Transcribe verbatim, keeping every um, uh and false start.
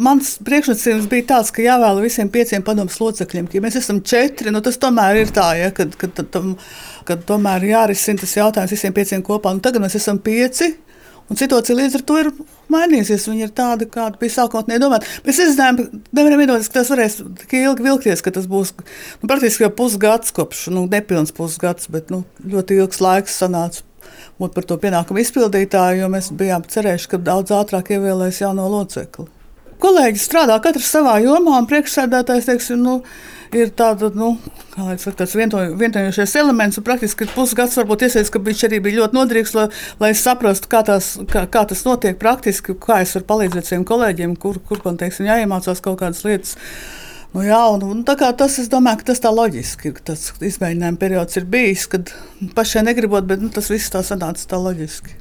Mans priekšnosacījums bija tāds, ka jāvēl visiem pieciem padomes locekļiem. Ja mēs esam četri, nu tas tomēr ir tā, ja, kad, kad, kad, kad tomēr jārisina tas jautājums visiem pieciem kopā. Nu, tagad mēs esam pieci, un situācija līdz ar to ir mainījusies. Viņa ir tāda, kāda bija sākotnēji domāta. Mēs izzinājām, nevaram iedomāties, ka tas varēs tik ilgi vilkties, ka tas būs nu, praktiski jau pusgads kopš, nu nepilns pusgads, bet nu, ļoti ilgs laiks sanāca būt par to pienākumu izpildītāju, jo mēs bijām cerējuši, ka daudz ātrāk ievēlēs jauno locekli. Kolēģi strādā katrs savā jomā, un priekšsēdētājs, teiksim, nu, ir tāda, nu, kā lai saka, tāds vienojošais elements, un praktiski pusgads varbūt iesaists, ka viņš arī bija ļoti noderīgs, lai, lai saprastu, kā, tās, kā, kā tas notiek praktiski, kā es varu palīdzēt saviem kolēģiem, kur, kur man, teiksim, jāiemācās kaut kādas lietas. Nu, jā, un, un tā kā tas, es domāju, ka tas tā loģiski, ka tas izmēģinājuma periods ir bijis, kad pašai negribot, bet nu, tas viss tā sanāca tā loģiski.